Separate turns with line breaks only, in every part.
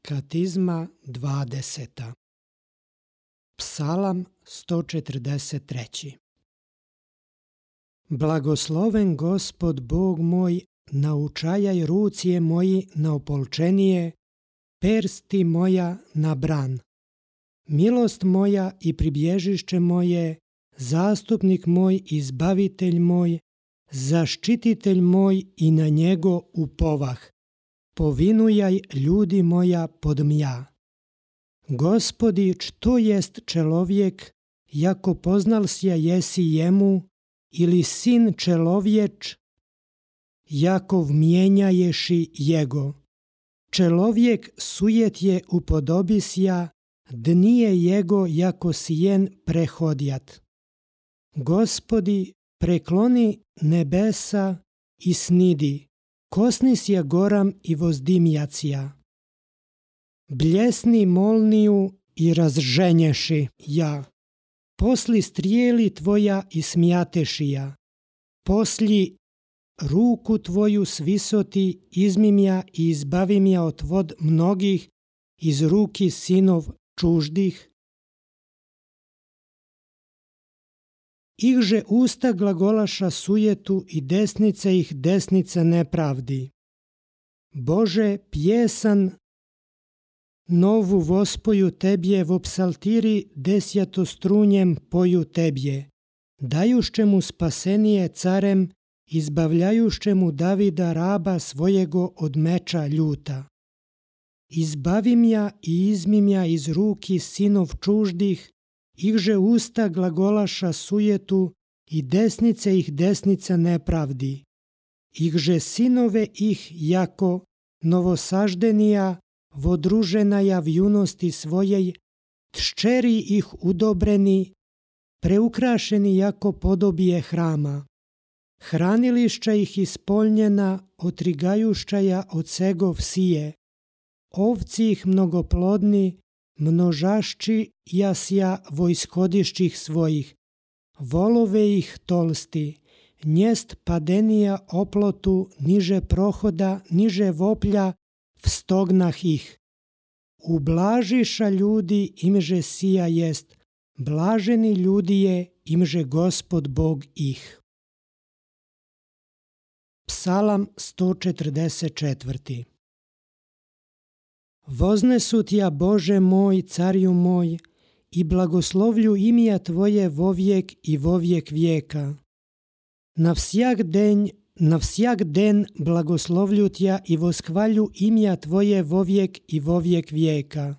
Katizma 20. Psalam 143. Blagosloven Gospod Bog moj, naučajaj rucije moji na opolčenije, persti moja na bran. Milost moja i pribježišće moje, zastupnik moj, izbavitelj moj, zaštititelj moj i na njego upovah. Povinujaj ljudi moja podmja. Gospodi, što jest čelovjek, jako poznal sja jesi jemu, ili sin čelovječ, jako vmijenjaješi jego. Čelovjek sujet je upodobisja, dnije jego jako sijen prehodjat. Gospodi, prekloni nebesa i snidi, kosnisja goram i vozdimjacija. Bljesni molniju i razženješi ja. Posli strijeli tvoja i smjatešija. Posli ruku tvoju s visoti izmimja i izbavimja od vod mnogih iz ruki sinov čuždih. Ihže usta glagolaša sujetu i desnice ih desnica nepravdi. Bože, pjesan novu vospoju tebje v psaltiri desjatostrunjem poju tebje, dajušćemu spasenije carem, izbavljajušćemu Davida raba svojego od meča ljuta. Izbavimja i izmimja iz ruki sinov čuždih, ihže usta glagolaša sujetu i desnice ih desnica nepravdi. Ihže sinove ih jako novosaždenija, vodruženaja v junosti svojej, tščeri ih udobreni, preukrašeni jako podobije hrama. Hranilišća ih ispoljnjena, otrigajušćaja od segov sije. Ovci ih mnogoplodni, množašći jasja vojskodišćih svojih. Volove ih tolsti, njest padenija oplotu, niže prohoda, niže voplja, vstognah ih. Ublažiša ljudi imže sija jest, blaženi ljudi je imže Gospod Bog ih. Psalam 144. Voznesutja Bože moj, carju moj, i blagoslovlju imija Tvoje vovijek i vovijek vijeka. Na vsjak den blagoslovlju Tja i voskvalju imija Tvoje vovijek i vovijek vijeka.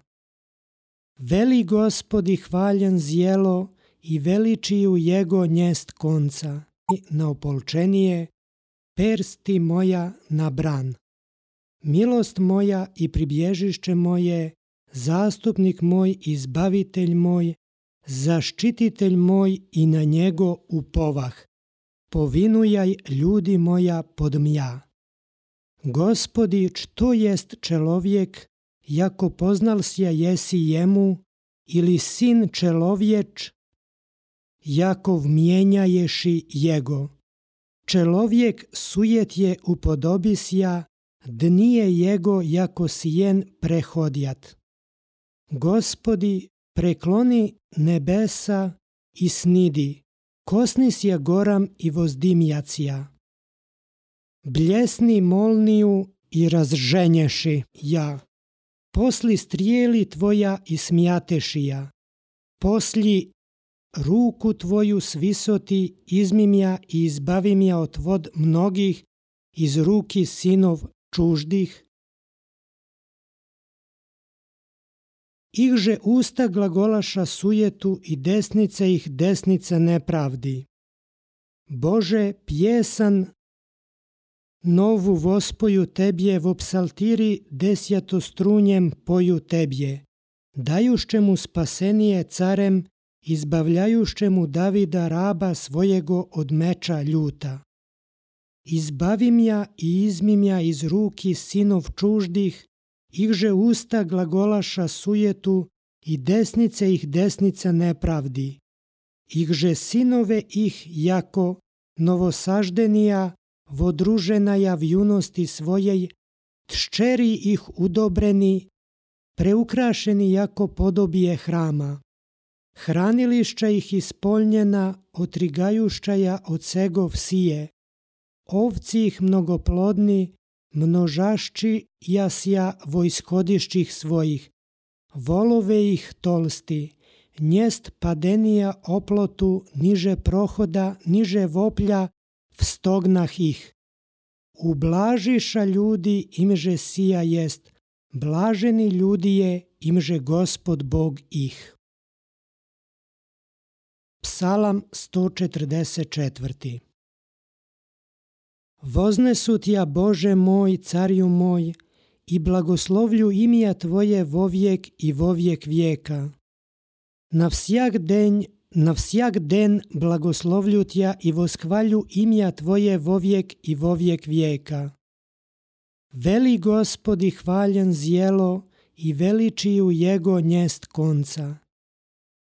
Veli Gospodi hvaljen zjelo i veličiju jego njest konca. Na opolčenije, persti moja na bran. Milost moja i pribježišće moje, zastupnik moj, izbavitelj moj, zaštititelj moj i na njego upovah. Povinujaj ljudi moja podmja. Gospodi, što jest čelovjek, jako poznal sja jesi jemu, ili sin čelovječ, jako vmijenjaješi jego. Čelovjek sujet je upodobisja, dnije jego jako sijen prehodjat. Gospodi, prekloni nebesa i snidi, kosnisja goram i vozdimjacija. Bljesni molniju i razženješi ja. Posli strijeli tvoja i smjatešija. Posli ruku tvoju s visoti izmimja i izbavimja od vod mnogih iz ruki sinov čuždih. Ihže usta glagolaša sujetu i desnice ih desnica nepravdi. Bože, pjesan novu vospoju tebje v psaltiri desjatostrunjem poju tebje, dajušćemu spasenije carem, izbavljajušćemu Davida raba svojego od meča ljuta. Izbavimja i izmimja iz ruki sinov čuždih, ihže usta glagolaša sujetu i desnice ih desnica nepravdi. Ihže sinove ih jako novosaždenija, vodruženaja v junosti svojej, tščeri ih udobreni, preukrašeni jako podobije hrama. Hranilišća ih ispoljnjena, otrigajušćaja od segov sije. Ovci ih mnogoplodni, množašći jasja vojskodišćih svojih. Volove ih tolsti, njest padenija oplotu, niže prohoda, niže voplja, vstognah ih. Ublažiša ljudi imže sija jest, blaženi ljudi je imže Gospod Bog ih. Psalam 144. Voznesutja Bože moj, carju moj, i blagoslovlju imija Tvoje vovijek i vovijek vijeka. Na vsjak den blagoslovlju Tja i voskvalju imija Tvoje vovijek i vovijek vijeka. Veli Gospodi hvaljen zjelo i veličiju Jego njest konca.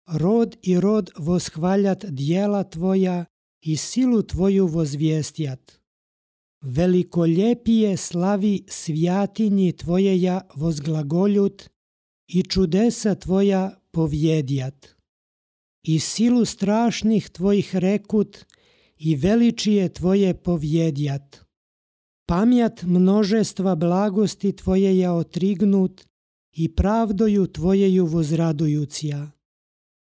Rod i rod voshvaljat djela Tvoja i silu Tvoju vozvijestjat. Velikoljepije slavi svjatinji Tvojeja vozglagoljut i čudesa Tvoja povjedjat. I silu strašnih Tvojih rekut i veličije Tvoje povjedjat. Pamjat množestva blagosti Tvojeja otrignut i pravdoju Tvojeju vozradujucija.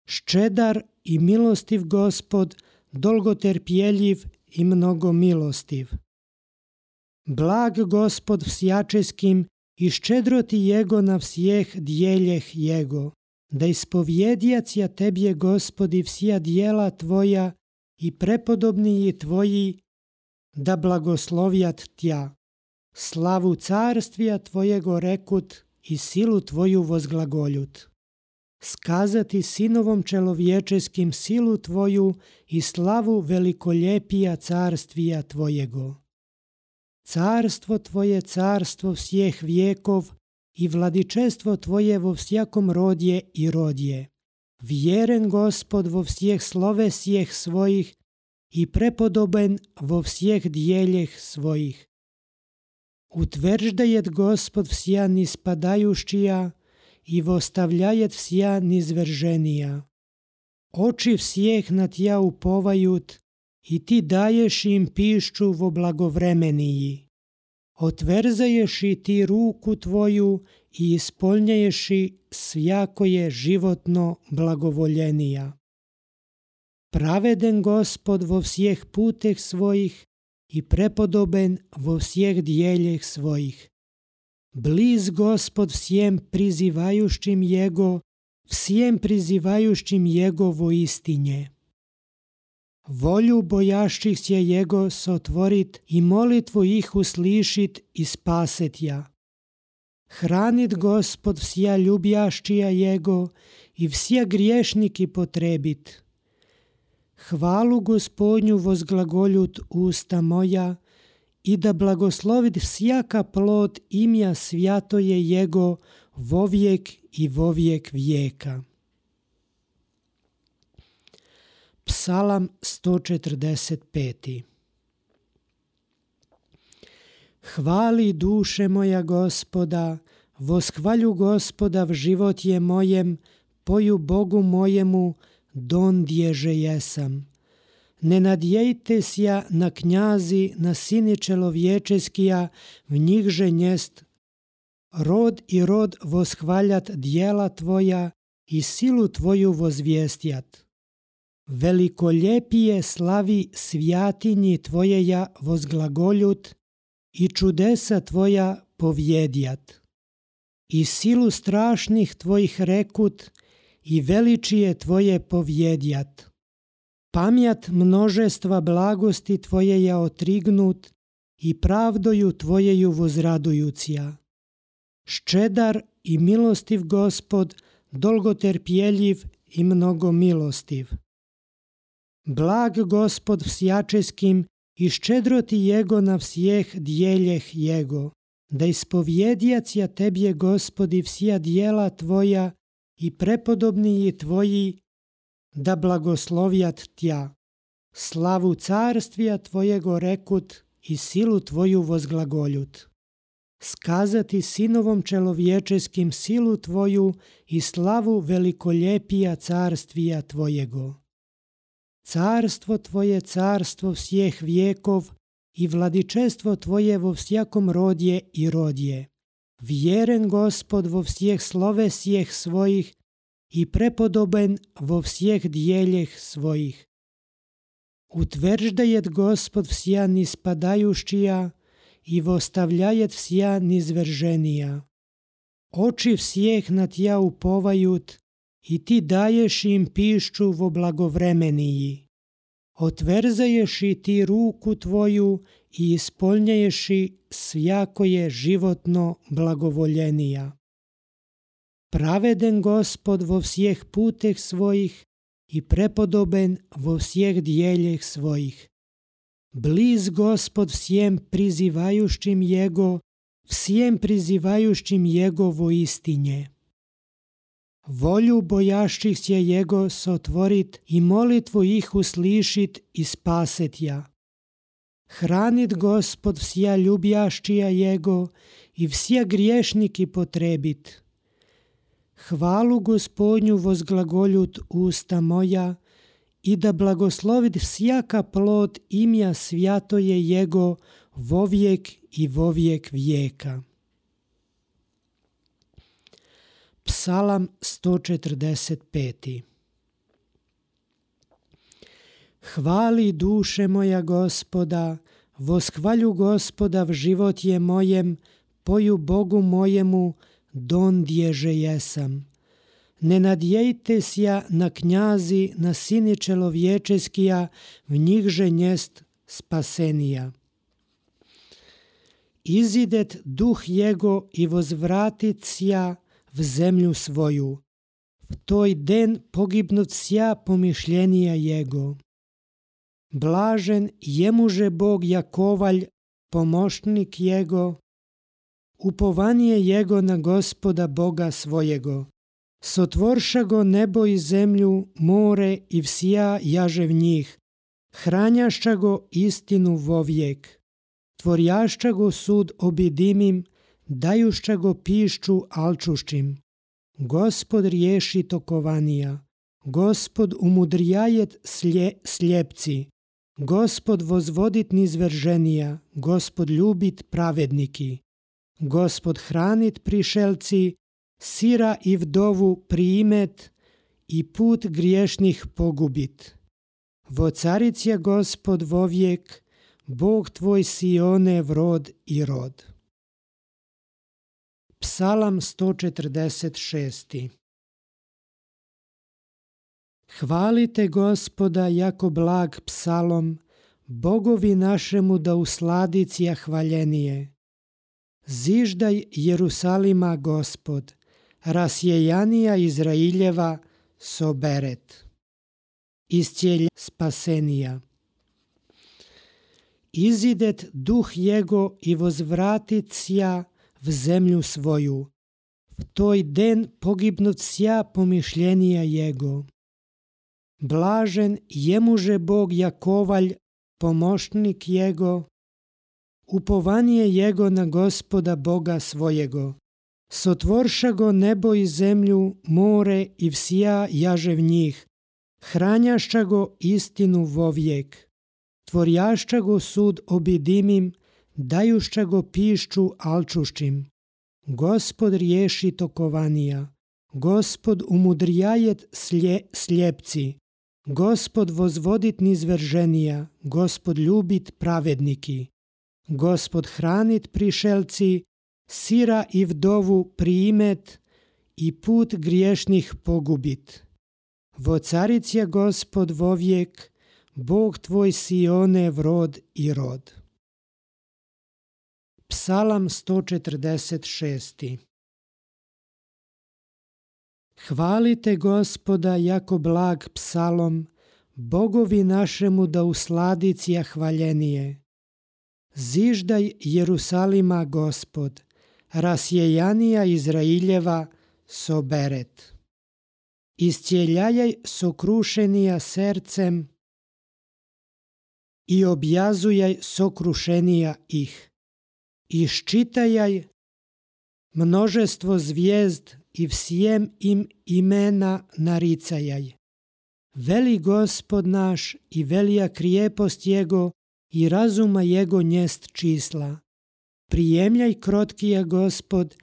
Ščedar i milostiv Gospod, dolgoterpjeljiv i mnogo milostiv. Blag Gospod vsjačeskim i ščedroti Jego na vsjeh djeljeh Jego, da ispovjedjacija Tebje Gospodi vsija djela Tvoja i prepodobniji Tvoji, da blagoslovjat Tja. Slavu carstvija Tvojego rekut i silu Tvoju vozglagoljut. Skazati sinovom čelovječeskim silu Tvoju i slavu velikoljepija carstvija Tvojego. Carstvo Tvoje carstvo vsjeh vijekov i vladičestvo Tvoje vo vsjakom rodje i rodje. Vjeren Gospod vo vsjeh slovesjeh svojih i prepodoben vo vsjeh djeljeh svojih. Utverždajet Gospod vsja nispadajušćija i vostavljajet vsja nizverženija. Oči vsjeh na Tja upovajut i Ti daješ im pišću vo blagovremeniji. Otverzaješ i Ti ruku Tvoju i ispoljnjaješ svjakoje životno blagovoljenija. Praveden Gospod vo vsjeh puteh svojih i prepodoben vo vsjeh djeljeh svojih. Bliz Gospod vsjem prizivajušćim Jego, vsjem prizivajušćim Jego vo istinje. Volju bojašćih se Jego sotvorit i molitvu ih uslišit i spaset ja. Hranit Gospod vsja ljubjašćija Jego i vsja griješniki potrebit. Hvalu Gospodnju vozglagoljut usta moja i da blagoslovit vsjaka plod imja svjatoje Jego vovijek i vovijek vijeka. Psalam 145. Hvali duše moja Gospoda, voshvalju Gospoda v život je mojem, poju Bogu mojemu, dondježe jesam. Ne nadjejte sja na knjazi, na sini čelovječeskija, v njihže njest. Rod i rod voshvaljat djela Tvoja i silu Tvoju vozvijestjat. Velikoljepije slavi svjatinji Tvojeja vozglagoljut i čudesa Tvoja povjedjat. I silu strašnih Tvojih rekut i veličije Tvoje povjedjat. Pamjat množestva blagosti Tvojeja otrignut i pravdoju Tvojeju vozradujucija. Ščedar i milostiv Gospod, dolgoterpjeljiv i mnogo milostiv. Blag Gospod vsjačeskim i ščedroti Jego na vsjeh djeljeh Jego, da ispovjedjacija Tebje Gospodi vsja djela Tvoja i prepodobniji Tvoji, da blagoslovjat Tja. Slavu carstvija Tvojego rekut i silu Tvoju vozglagoljut. skazati sinovom čelovječeskim silu Tvoju i slavu velikoljepija carstvija Tvojego. Carstvo Tvoje carstvo vsjeh vijekov i vladičestvo Tvoje vo vsjakom rodje i rodje. Vjeren Gospod vo vsjeh slovesjeh svojih i prepodoben vo vsjeh djeljeh svojih. Utverždajet Gospod vsja nispadajuščija i vostavljajet vsja nizverženija. Oči vsjeh na Tja upovajut i Ti daješ im pišću vo blagovremeniji. Otverzaješ i Ti ruku Tvoju i ispolnjaješ i svjakoje životno blagovoljenija. Praveden Gospod vo vsjeh puteh svojih i prepodoben vo vsjeh djeljeh svojih. Bliz Gospod vsjem prizivajušćim Jego, vsjem prizivajušćim Jegovo istinje. Volju bojašćih se Jego sotvorit i molitvu ih uslišit i spaset ja. Hranit Gospod vsja ljubjašćija Jego i vsja griješniki potrebit. Hvalu Gospodnju vozglagoljut usta moja i da blagoslovit vsjaka plod imja svjatoje Jego vovijek i vovijek vijeka. Psalam 145. Hvali duše moja Gospoda, voshvalju Gospoda v život je mojem, poju Bogu mojemu, dondježe jesam. Ne nadjejte sja na knjazi, na sini čelovječeskija, v njihže njest spasenija. Izidet duh Jego i vozvratit sja v zemlju svoju. V toj den pogibnut sja pomišljenija Jego. Blažen jemuže Bog Jakovalj, pomoćnik Jego, upovanje Jego na Gospoda Boga svojego. Sotvorša go nebo i zemlju, more i vsja jaže v njih. Hranjašća go istinu vovijek. Tvorjašća go sud obidimim, dajušća go pišću alčušćim. Gospod riješi tokovanija. Gospod umudrijajet sljepci. Gospod vozvodit nizverženija. Gospod ljubit pravedniki. Gospod hranit prišelci, sira i vdovu priimet i put griješnih pogubit. Vocaric je Gospod vovijek, Bog tvoj Sione vrod i rod. Psalam 146. Hvalite Gospoda jako blag psalom, Bogovi našemu da usladicija hvaljenije. Ziždaj Jerusalima Gospod, rasjejanija Izrailjeva soberet. Iscijelja spasenija. Izidet duh Jego i vozvratit sja v zemlju svoju. V toj den pogibnut sja pomišljenija Jego. Blažen jemuže Bog Jakovalj, pomoćnik Jego, upovanje Jego na Gospoda Boga svojego. Sotvorša go nebo i zemlju, more i vsja jaže v njih. Hranjašća go istinu vovijek. Tvorjašća go sud obidimim, dajušća go pišću alčušćim. Gospod riješi tokovanija. Gospod umudrijajet sljepci. Gospod vozvodit nizverženija. Gospod ljubit pravedniki. Gospod hranit prišelci, sira i vdovu priimet i put griješnih pogubit. Vocaric je Gospod vovijek, Bog tvoj Sione vrod i rod. Psalam 146. Hvalite Gospoda jako blag psalom, Bogovi našemu da usladicija hvaljenije. Ziždaj Jerusalima Gospod, rasjejanija Izrailjeva soberet. Iscijeljajaj sokrušenija sercem i objazujaj sokrušenija ih. iščitajaj množestvo zvijezd i vsjem im imena naricajaj. Veli Gospod naš i velija krijepost Jego i razuma Jego njest čísla. Prijemljaj krotkija Gospod,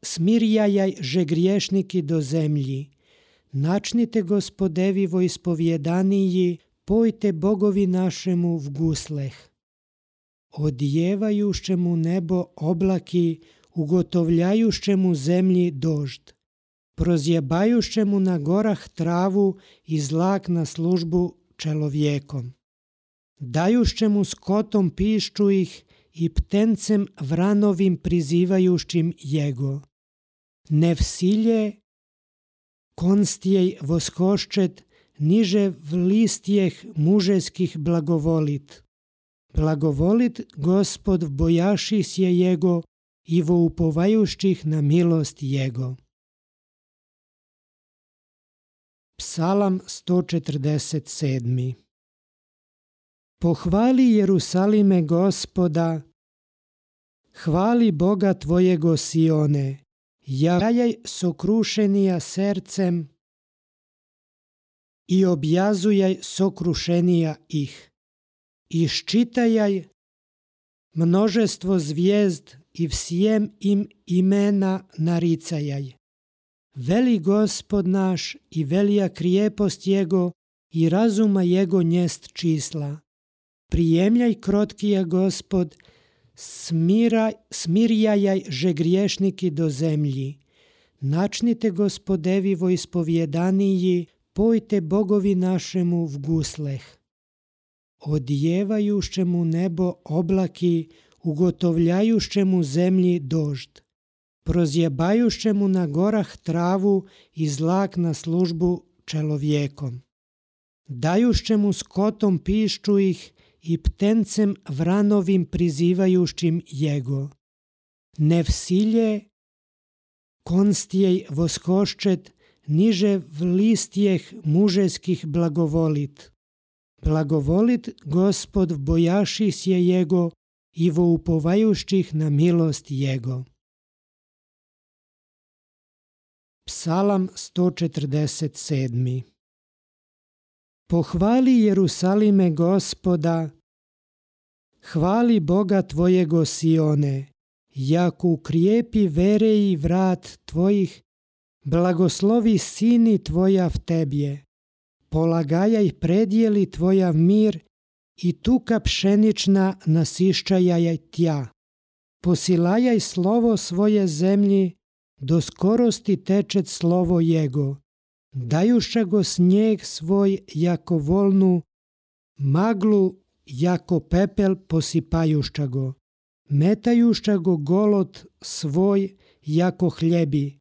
smirjajaj že griješniki do zemlji. Načnite Gospodevi vo ispovjedaniji, pojte Bogovi našemu v gusleh. Odjevajušćemu nebo oblaki, ugotovljajušćemu zemlji dožd. Prozjebajušćemu na gorah travu i zlak na službu čelovjekom. Dajušćemu skotom pišću ih i ptencem vranovim prizivajušćim Jego. Ne vsilje konstjej voskoščet, niže v listjeh mužeskih blagovolit. Blagovolit Gospod v bojaši sje Jego i vo upovajušćih na milost Jego. Psalam 147. Pohvali Jerusalime Gospoda, hvali Boga tvojego Sione, javljaj sokrušenija sercem i objazujaj sokrušenija ih. Iščitajaj množestvo zvijezd i vsjem im imena naricajaj. Veli Gospod naš i velija krijepost Jego i razuma Jego njest čísla. Prijemljaj krotkija Gospod, smirjajaj že griješniki do zemlji. Načnite Gospodevi vo ispovjedaniji, pojte Bogovi našemu v gusleh. Odjevajušćemu nebo oblaki, ugotovljajušćemu zemlji dožd. Prozjebajušćemu na gorah travu i zlak na službu čelovjekom. Dajušćemu skotom pišću ih i ptencem vranovim prizivajušćim Jego. Ne vsilje konstjej voskoščet, niže v listjeh mužeskih blagovolit. Blagovolit Gospod v bojaši sje Jego i vo upovajušćih na milost Jego. Psalam 147. Pohvali Jerusalime Gospoda, hvali Boga tvojego Sione, jako ukrijepi vere i vrat tvojih, blagoslovi sini tvoja v tebje, polagajaj predjeli tvoja mir i tuka pšenična nasiščajaj tja. Posilajaj slovo svoje zemlji, do skorosti tečet slovo Jego. Dajuša go snijeg svoj jako volnu, maglu jako pepel posipajušća go. Metajušća go golod svoj jako hljebi.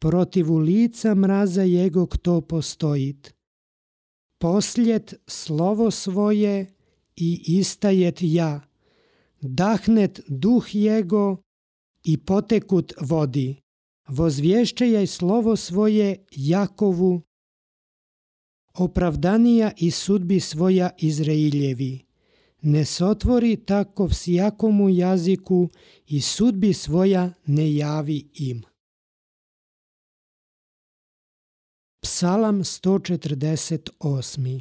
Protivu lica mraza Jego kto postojit. Posljet slovo svoje i istajet ja. Dahnet duh Jego i potekut vodi. Vozvješćajaj slovo svoje Jakovu, opravdanija i sudbi svoja Izrailjevi. Ne sotvori tako vsijakomu jaziku i sudbi svoja ne javi im. Psalam 148.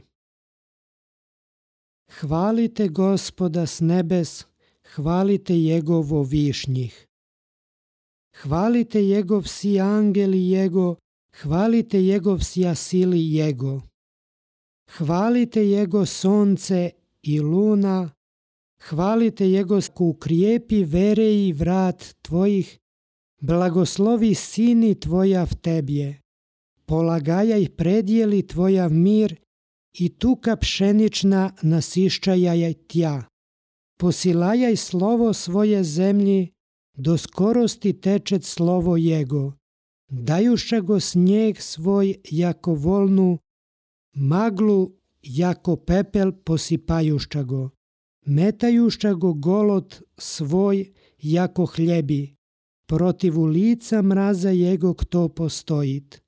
Hvalite Gospoda s nebes, hvalite Jegovo višnjih. Hvalite Jegov si angeli Jego, hvalite Jegov si sili Jego. Hvalite Jego sonce i luna, hvalite Jego ukrijepi vere i vrat tvojih, blagoslovi sini tvoja v tebje. Polagajaj predjeli tvoja mir i tuka pšenična nasiščajaj tja. Posilajaj slovo svoje zemlji, do skorosti tečet slovo Jego. Dajuša go snijeg svoj jako volnu, maglu jako pepel posipajušća go. Metajušća go golod svoj jako hljebi. Protivu lica mraza Jego kto postojit.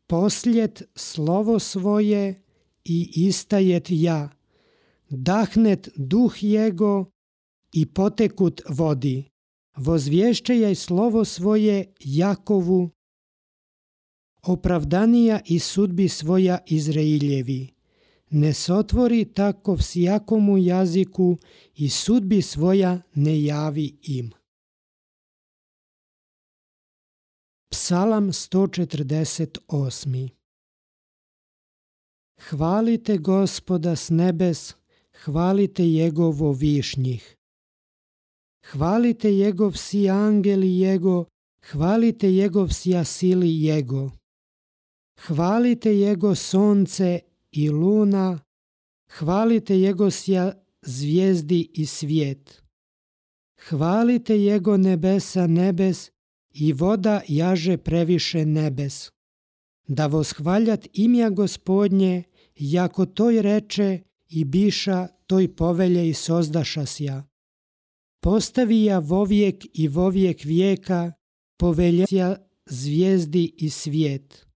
Posljet slovo svoje i istajet ja. Dahnet duh Jego i potekut vodi. Vozvješćajaj slovo svoje Jakovu, opravdanija i sudbi svoja Izrailjevi. Ne sotvori tako vsijakomu jaziku i sudbi svoja ne javi im. Psalam 148. Hvalite Gospoda s nebes, hvalite Jegovo višnjih. Hvalite Jegov vsi angeli Jego, hvalite Jegov vsja sili Jego. Hvalite Jego sonce i luna, hvalite Jego sja zvijezdi i svijet. Hvalite Jego nebesa nebes i voda jaže previše nebes. Da voshvaljat imja Gospodnje, jako toj reče i biša toj povelje i sozdaša sja. Postavija vovijek i vovijek vijeka, povelja zvijezdi i svijet.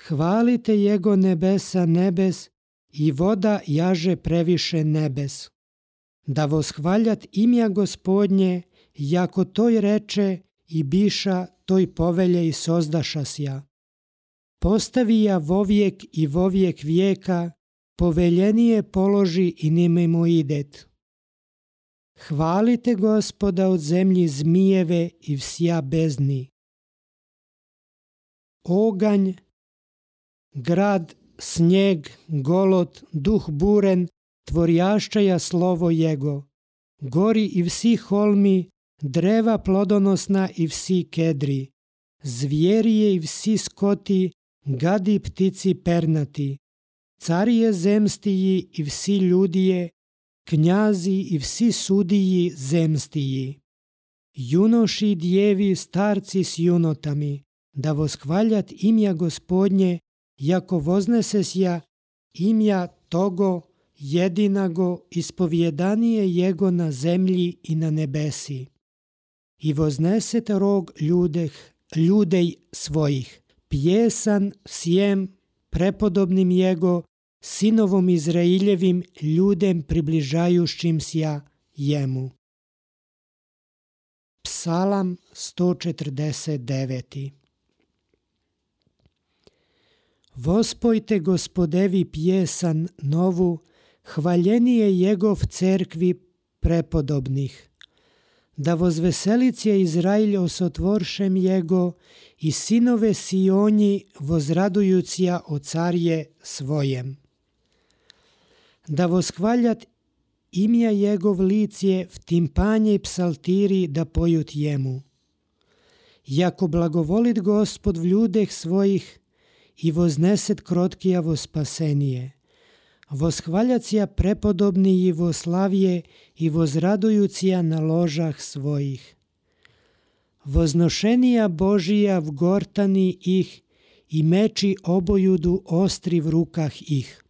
Hvalite Jego nebesa nebes i voda jaže previše nebes. Da voshvaljat imja Gospodnje, jako toj reče i biša toj povelje i sozdaša sja. Postavija vovijek i vovijek vijeka, poveljenije položi i nimemo idet. Hvalite Gospoda od zemlji zmijeve i vsja bezni. Oganj, grad, snijeg, golot, duh buren, tvorjašćaja slovo Jego. Gori i vsi holmi, dreva plodonosna i vsi kedri. Zvijerije i vsi skoti, gadi ptici pernati. Carije zemstiji i vsi ljudije, knjazi i vsi sudiji zemstiji. Junoši i djevi, starci s junotami, da voshvaljat imja Gospodnje, jako voznesesja imja togo jedinago ispovjedanije Jego na zemlji i na nebesi. I vozneset rog ljudej svojih, pjesan sjem prepodobnim Jego, sinovom Izrailjevim ljudem približajušćim sja jemu. Psalam 149. Vospojte Gospodevi pjesan novu, hvaljenije Jegov cerkvi prepodobnih. Da vozveselit je Izrailj osotvoršem Jego i sinove Sionji vozradujucija o carje svojem. Da voshvaljat imja Jegov licije v timpanje i psaltiri da pojut jemu. Jako blagovolit Gospod v ljudeh svojih i vozneset krotkijavo spasenije. Voshvaljacija prepodobni i voslavje i vozradujucija na ložah svojih. Voznošenija Božija v gortani ih i meči obojudu ostri v rukah ih.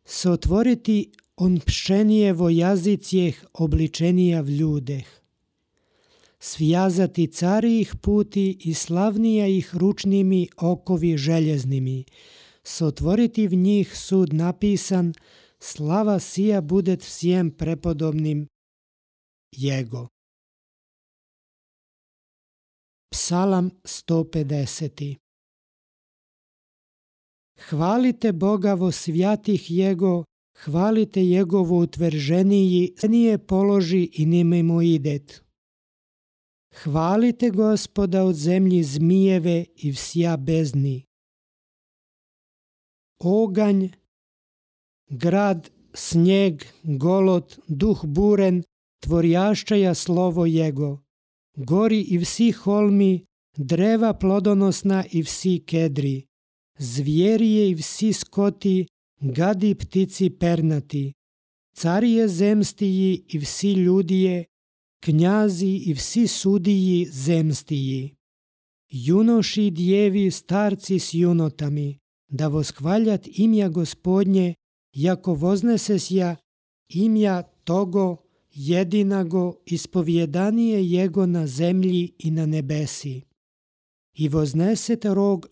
Sotvoriti on pšenijevo jazicijeh obličenija v ljudeh. Svjazati cari ih puti i slavnija ih ručnimi okovi željeznimi. Sotvoriti v njih sud napisan, slava sija budet vsijem prepodobnim Jego. Psalam 150. Hvalite Boga vo svjatih Jego, hvalite Jegovo utvrženiji, nije položi i nimemo idet. Hvalite Gospoda od zemlji zmijeve i vsja bezni. Oganj, grad, snijeg, golot, duh buren, tvorjašćaja slovo Jego. Gori i vsi holmi, dreva plodonosna i vsi kedri. Zvijerije i vsi skoti, gadi ptici pernati. Carije zemstiji i vsi ljudije, knjazi i vsi sudiji zemstiji. Junoši i djevi, starci s junotami, da voshvaljat imja Gospodnje, jako voznesesja imja togo jedinago ispovjedanije Jego na zemlji i na nebesi. I vozneset rog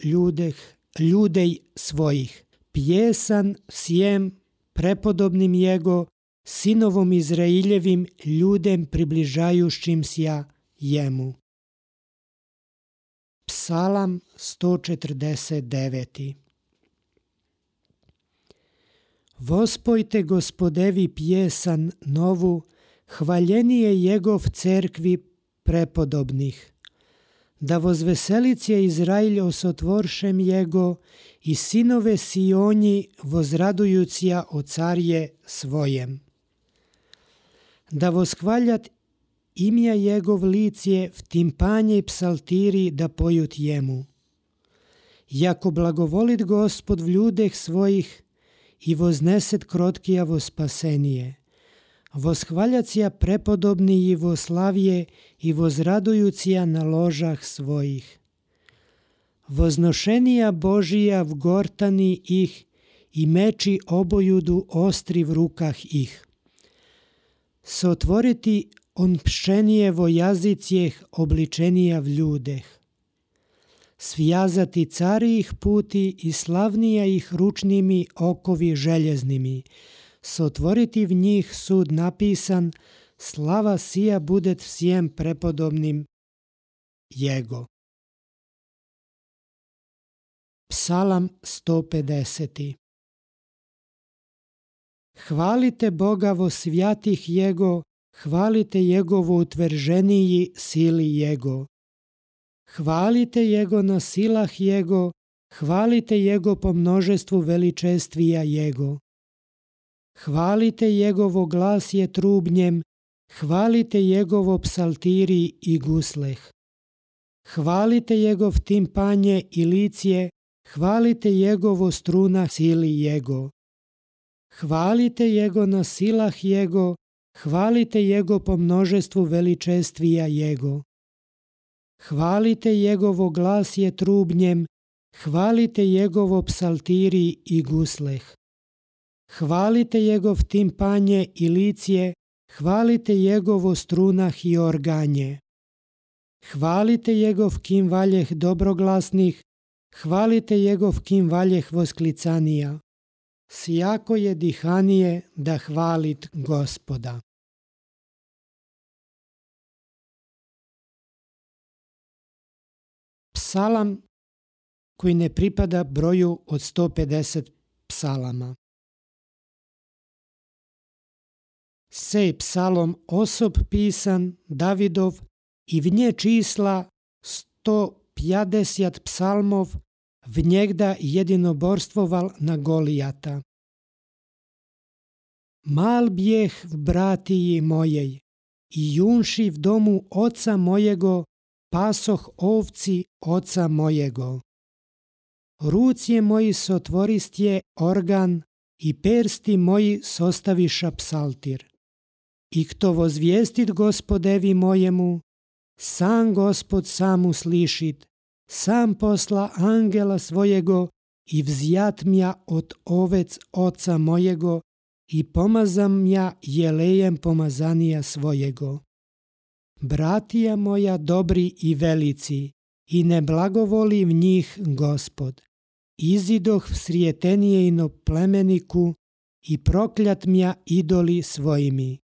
ljudej svojih, pjesan sjem prepodobnim Jego, sinovom Izraeljevim ljudem približajušćim sja jemu. Psalam 149. Vospojte Gospodevi pjesan novu, hvaljenije Jegov cerkvi prepodobnih. Da vozveselice Izrailj osotvoršem Jego i sinove Sionji vozradujucija o carje svojem. Da voskvaljat imja Jegov licije v timpanje i psaltiri da pojut jemu. Jako blagovolit Gospod v ljudeh svojih i vozneset krotkijavo spasenije. Voshvaljacija prepodobni i voslavje i vozradujucija na ložah svojih. Voznošenija Božija v gortani ih i meči obojudu ostri v rukah ih. Sotvoriti on pšenijevo jazicijeh obličenija v ljudeh. Svjazati cari ih puti i slavnija ih ručnimi okovi željeznimi. Sotvoriti v njih sud napisan, slava sija budet vsijem prepodobnim Jego. Psalam 150. Hvalite Boga vo svjatih Jego, hvalite Jegovo utvrženiji sili Jego. Hvalite Jego na silah Jego, hvalite Jego po množestvu veličestvija Jego. Hvalite Jegovo glas je trubnjem, hvalite Jegovo psaltiri i gusleh. Hvalite Jegov timpanje i licije, hvalite Jegovo struna sili Jego. Hvalite Jego na silah Jego, hvalite Jego po množestvu veličestvija Jego. Hvalite Jegovo glas je trubnjem, hvalite Jegovo psaltiri i gusleh. Hvalite Jegov timpanje i licije, hvalite Jegovo strunah i organje. Hvalite Jegov kim valjeh dobroglasnih, hvalite Jegov kim valjeh vosklicanija. Sjako je dihanije da hvalit Gospoda. Psalam koji ne pripada broju od 150 psalama. Sej psalom osob pisan Davidov i v nje čísla 150 psalmov, v njegda jedinoborstvoval na Golijata. Mal bjeh v bratiji mojej i junši v domu oca mojego pasoh ovci oca mojego. Rucije moji sotvoristje organ i persti moji sostaviša psaltir. I kto vozvijestit Gospodevi mojemu, sam Gospod sam uslišit, sam posla angela svojego i vzjat mja od ovec oca mojego i pomazam mja jelejem pomazanija svojego. Bratija moja dobri i velici, i ne blagovoli v njih Gospod. Izidoh v srijetenijejno plemeniku i prokljat mja idoli svojimi.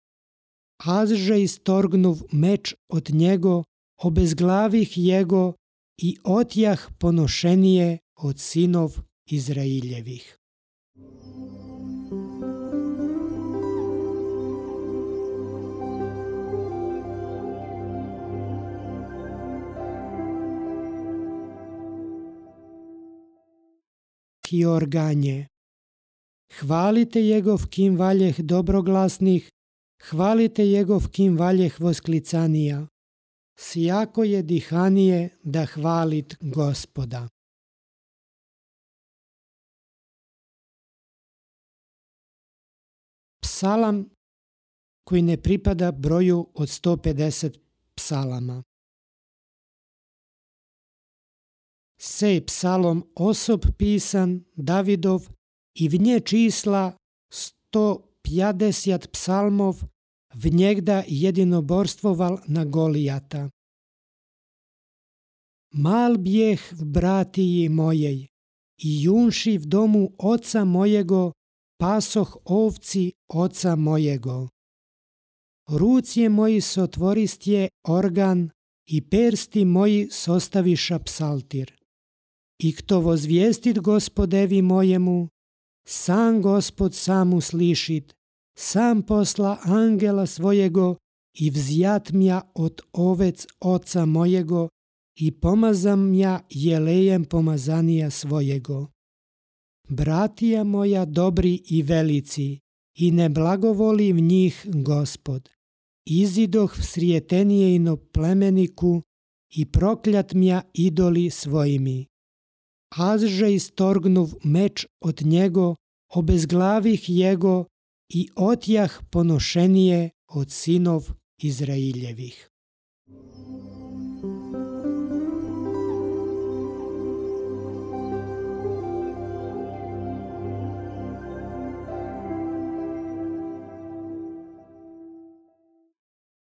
Azže istorgnuv meč od njego, obezglavih jego i otjah ponošenije od sinov Izraeljevih. I organje. Hvalite Jegov kim valjeh dobroglasnih, hvalite Jegov kim valjeh vosklicanija. Sjako je dihanije da hvalit Gospoda. Psalam koji ne pripada broju od 150 psalama. Sej psalom osob pisan Davidov i v nje čísla 150 psalmov, v njegda jedinoborstvoval na Golijata. Mal bjeh v bratiji mojej i junši v domu oca mojego pasoh ovci oca mojego. Rucije moji sotvoristje organ i persti moji sostaviša psaltir. I kto vozvijestit Gospodevi mojemu, sam Gospod sam uslišit, sam posla angela svojego i vzjat mja od ovec oca mojego i pomazam mja jelejem pomazanija svojego. Bratija moja dobri i velici, i ne blagovoli v njih Gospod. Izidoh v srijetenijejno plemeniku i prokljat mja idoli svojimi. Azže istorgnuv meč od njego, obezglavih jego i otjah ponošenije od sinov Izraeljevih.